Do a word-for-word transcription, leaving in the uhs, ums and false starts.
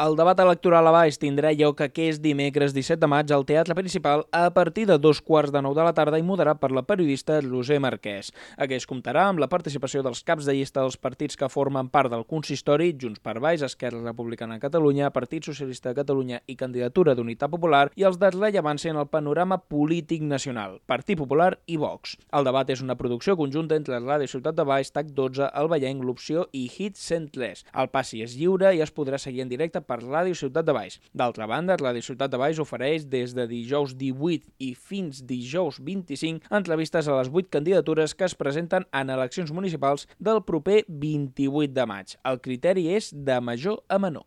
El debat electoral a Baix tindrà lloc aquest dimecres disset de maig al Teatre Principal a partir de dos quarts de nou de la tarda i moderat per la periodista Roser Marquès. Aquest comptarà amb la participació dels caps de llista dels partits que formen part del consistori, Junts per Baix, Esquerra Republicana de Catalunya, Partit Socialista de Catalunya i Candidatura d'Unitat Popular, i els de rellevància en el panorama polític nacional, Partit Popular i Vox. El debat és una producció conjunta entre Ràdio Ciutat de Baix, TAC dotze, El Vallenc, L'Opció i Hit cent tres. El passi és lliure i es podrà seguir en directe per Ràdio Ciutat de Baix. D'altra banda, Ràdio Ciutat de Baix ofereix des de dijous divuit i fins dijous vint-i-cinc entrevistes a les vuit candidatures que es presenten en eleccions municipals del proper vint-i-vuit de maig. El criteri és de major a menor.